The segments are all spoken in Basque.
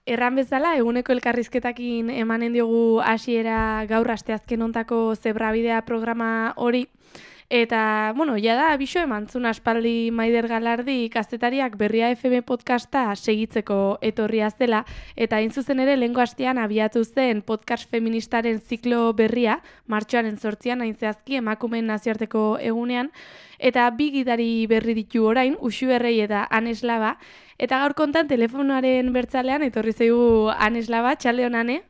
erran bezala, eguneko elkarrizketakin emanen diogu hasiera gaur asteazken hontako Zebrabidea programa hori. Eta, jada abixo emantzun aspaldi Maider Galardi kazetariak Berria FM podcasta segitzeko etorria zela, eta hain zuzen ere lehengo astean abiatu zen podcast feministaren ziklo berria, martxoaren 8an hain zehazki emakumeen nazioarteko egunean, eta bi gidari berri ditu orain, Uxu Errei eta Anes Laba, eta gaur kontan telefonoaren bertzalean etorri zaigu Anes Laba, txaldeon Ane?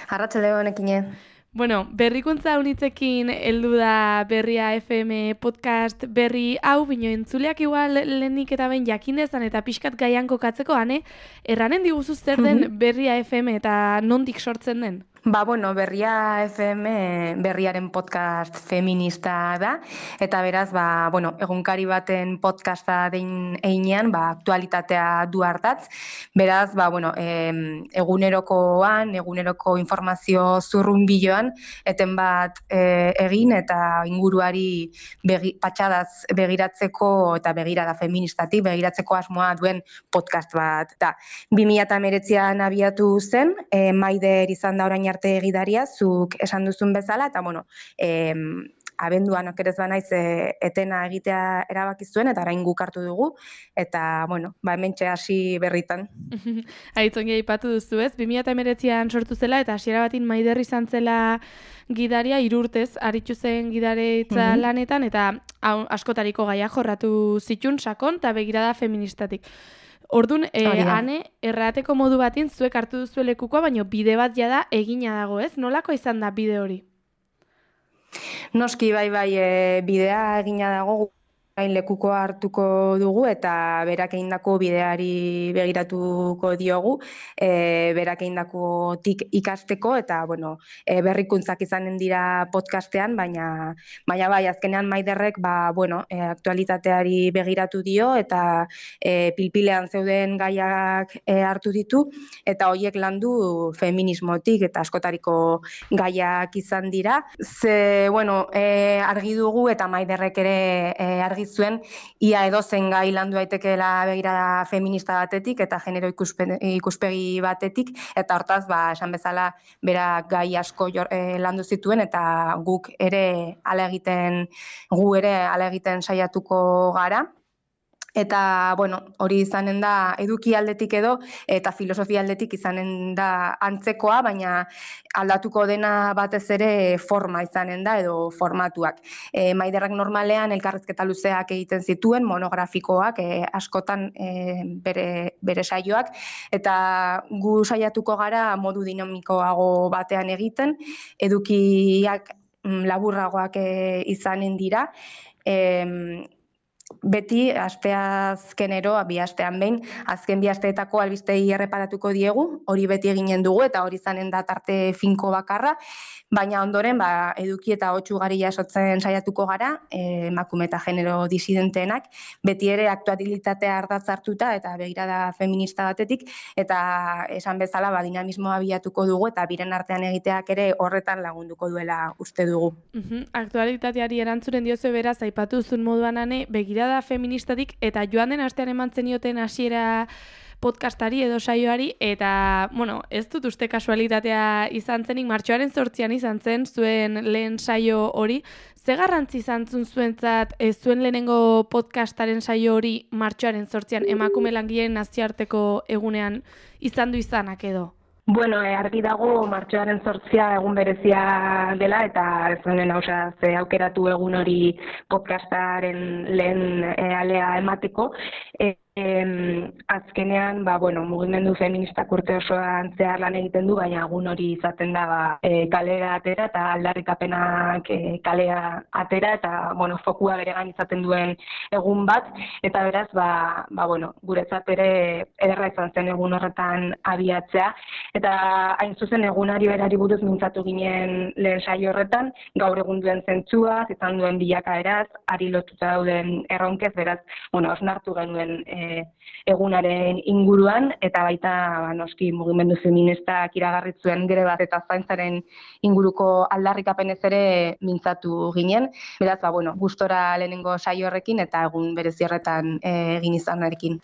Arratsalde honekine. Berrikuntza unitzekin heldu da Berria FM podcast berri hau, bino entzuleak igual lehenik eta behin jakin dezan eta pixkat gaian kokatzeko, Ane, erranen diguzu zer den Berria FM eta nondik sortzen den? Berria FM berriaren podcast feminista da, eta beraz, egunkari baten podcasta den einean, aktualitatea du hartatz. Beraz, eguneroko informazio zurrunbiloan, eten bat egin eta inguruari patxadaz begiratzeko eta begirada feministatik begiratzeko asmoa duen podcast bat. 2019an abiatu zen, Maider izan da orain arte egidaria, zuk esan duzun bezala, eta abenduan okerez banaiz etena egitea erabaki zuen, eta orain guk hartu dugu, eta hementxe hasi berritan. Aitzongi aipatu duzu ez, 2019an sortu zela, eta hasiera batin Maider izan zela gidaria 3 urtez, aritu zen gidaretza lanetan, eta askotariko gaia jorratu zitun sakon, eta begirada feministatik. Orduan, Ane, errateko modu batin zuek hartu duzu lekukoa, baina bide bat jada egina dago, ez? Nolako izan da bide hori? Noski, bidea egina dago, lekukoa hartuko dugu eta berak egindako bideari begiratuko diogu, berak egindakotik ikasteko eta berrikuntzak izanen dira podcastean, baina azkenean Maiderrek aktualitateari begiratu dio eta pilpilean zeuden gaiak hartu ditu eta horiek landu feminismotik eta askotariko gaiak izan dira. Argi dugu eta Maiderrek ere argi zuen, ia edozen gai landu daitekeela begirada feminista batetik eta genero ikuspegi batetik, eta hortaz, esan bezala, berak gai asko landu zituen, eta gu ere hala egiten saiatuko gara. Eta, hori izanen da eduki aldetik edo, eta filosofia aldetik izanen da antzekoa, baina aldatuko dena batez ere forma izanen da, edo formatuak. Maiderrak normalean elkarrizketa luzeak egiten zituen, monografikoak, askotan bere saioak, eta gu saiatuko gara modu dinamikoago batean egiten, edukiak laburragoak izanen dira, beti, asteazkenero, 2 astean behin, azken 2 asteetako albistei erreparatuko diegu, hori beti eginen dugu, eta hori izanen da tarte finko bakarra, baina ondoren, eduki eta hotz ugari jasotzen saiatuko gara, emakume eta genero disidenteenak, beti ere aktualitatea ardatz hartuta eta begirada feminista batetik, eta esan bezala, dinamismoa bilatuko dugu, eta biren artean egiteak ere horretan lagunduko duela uste dugu. Aktualitateari erantzuren diozu beraz, aipatu duzun moduan, Ane, begirada feministatik, eta joan den astean eman zenioten hasiera podcastari edo saioari, eta, ez dut uste kasualitatea izan zenik, martxoaren 8an izan zen, zuen lehen saio hori. Ze garrantzi izan zuentzat, zuen lehenengo podcastaren saio hori martxoaren 8an emakume langileen nazioarteko egunean izan du izanak edo? Argi dago martxoaren 8a egun berezia dela, eta ez honen aukeratu egun hori podcastaren lehen alea emateko. Azkenean, mugimendu feministak urte osoan zehar lan egiten du, baina egun hori izaten da kalera atera eta aldarrikapenak kalea atera eta fokua beregan izaten duen egun bat, eta beraz, guretzat ere ederra izan zen egun horretan abiatzea, eta hain zuzen egunari berari buruz mintzatu ginen lehen saio horretan, gaur egun duen zentzua, izan duen bilakaeraz, ari lotuta dauden erronkez, beraz, osnartu genuen egunaren inguruan, eta baita noski mugimendu feministak iragarri zuen greba eta zaintzaren inguruko aldarrikapenez ere mintzatu ginen. Beraz, gustora lehenengo saio horrekin eta egun berezi horretan egin izanarekin.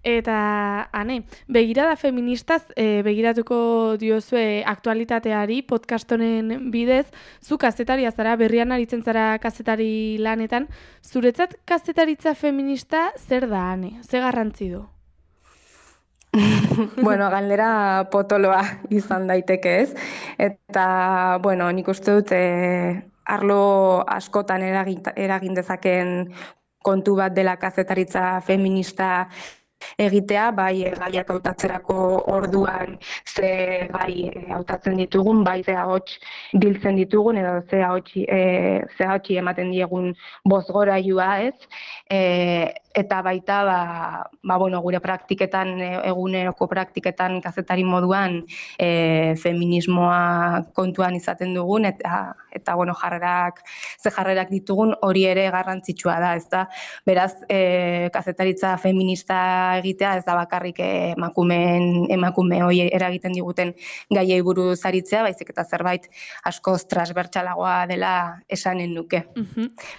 Eta, Ane, begirada feministaz begiratuko diozue aktualitateari podcast honen bidez, zu kazetaria zara, berrian aritzen zara kazetari lanetan, zuretzat kazetaritza feminista zer da, Ane? Ze garrantzi du? Galdera potoloa izan daiteke, ez? Eta, nik uste dut arlo askotan eragin dezaken kontu bat dela kazetaritza feminista egitea, bai gaiak hautatzerako orduan ze gai hautatzen ditugun, bai ze ahots biltzen ditugun edo ze ahotsi ematen diegun bozgorailua, ez? Eta baita gure praktiketan, eguneroko praktiketan kazetari moduan feminismoa kontuan izaten dugun eta jarrerak ditugun hori ere garrantzitsua da, ezta? Beraz, kazetaritza feminista egitea ez da bakarrik emakume hori eragiten diguten gaiei buruz aritzea, baizik eta zerbait askoz transbertsalagoa dela esanen nuke.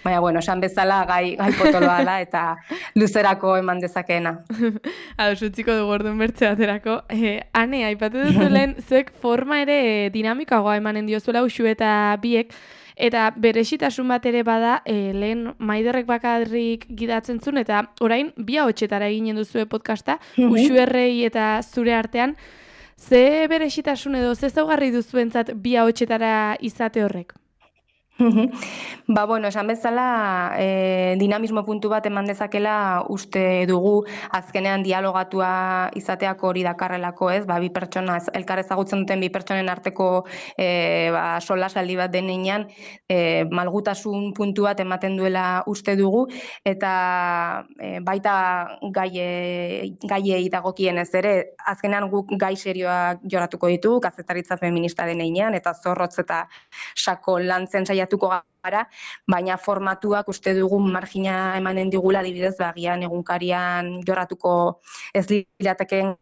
Baina, esan bezala gai potoloa da eta luzerako eman dezakeena. Utziko dugu orduan bertze baterako. Ane, aipatu duzu lehen, zuek forma ere dinamikagoa emanen diozuela Uxu eta biek, eta berezitasun bat ere bada, lehen Maiderrek bakarrik gidatzen zuen, eta orain bi ahotsetara eginen duzue podcasta, Uxu errei eta zure artean, ze berezitasun edo ze zaugarri duzuentzat bi ahotsetara izate horrek? Esan bezala, dinamismo puntu bat eman dezakela uste dugu azkenean dialogatua izateak hori dakarrelako, ez? Bi pertsona, elkar ezagutzen duten bi pertsonen arteko solasaldi bat denean, malgutasun puntu bat ematen duela uste dugu, eta baita gaiei dagokienez ere, azkenean guk gai serioak joratuko ditugu, kazetaritza feminista denean, eta zorrotz eta sako lantzen saiatuko gara, baina formatuak uste dugun margina emanen digula, adibidez, agian egunkarian jorratuko ez liratekeen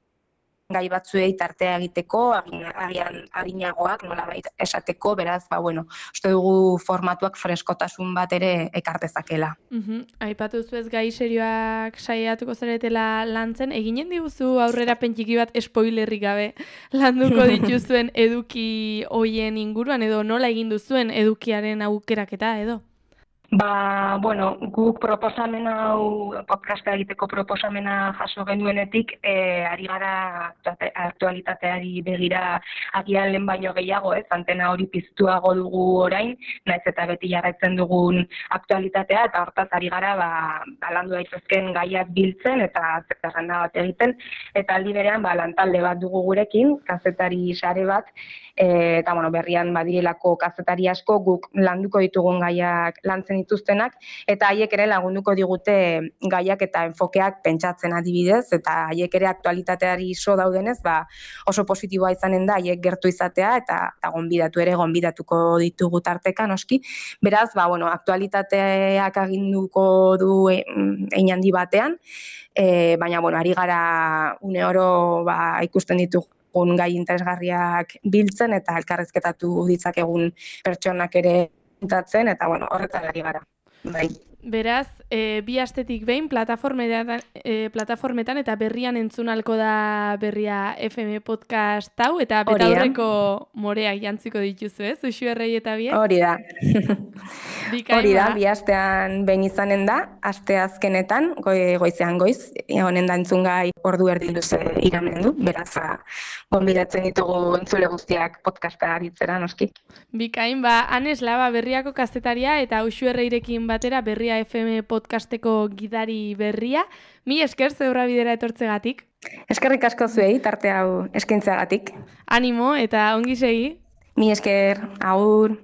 gai batzuei tartea egiteko, agian arinagoak nolabait esateko, beraz, uste dugu formatuak freskotasun bat ere ekartezakela. Aipatu zuez gai serioak saiatuko zaretela lantzen, eginen diguzu aurrera pentsiki bat spoilerrik gabe landuko dituzuen eduki hoien inguruan, edo nola egin duzuen edukiaren aukeraketa, edo? Guk proposamen hau, podcasta egiteko proposamena jaso genuenetik, ari gara aktualitateari begira agian lehen baino gehiago, ez? Antena hori piztuago dugu orain, naiz eta beti jarraitzen dugun aktualitatea, eta hortaz ari gara landu daitezken gaiak biltzen eta zerrenda bat egiten, eta aldi berean lantalde bat dugu gurekin, kazetari sare bat, eta berrian badirelako kazetari asko guk landuko ditugun gaiak lantzen dituztenak, eta haiek ere lagunduko digute gaiak eta enfokeak pentsatzen adibidez, eta haiek ere aktualitateari so daudenez, oso positiboa izanen da haiek gertu izatea, eta gonbidatuko ditugu tarteka noski. Beraz, aktualitateak aginduko du hein handi batean, baina ari gara une oro ikusten ditugu gai interesgarriak biltzen eta elkarrezketatu ditzakegun pertsonak ere pintatzen, eta horretan ari gara. Beraz, bi astetik behin plataformetan eta berrian entzunalko da Berria FM podcast hau, eta betaurreko moreak jantziko dituzu, ez? Uxu errei eta biek? Hori da. Hori da, bi astean behin izanen da, aste azkenetan, goizean goiz, honen da entzungai ordu erdi luze iramen du, beraz, gonbidatzen ditugu entzule guztiak podcasta aritzera, noski. Bikain, Anes Laba Berriako kazetaria eta Uxu erreirekin batera Berria FM podcasteko gidari berria. Mi esker zeurra bidera etortzegatik. Eskerrik asko zuei, tarte hau eskaintzeagatik. Animo eta ongi segi. Mi esker, agur.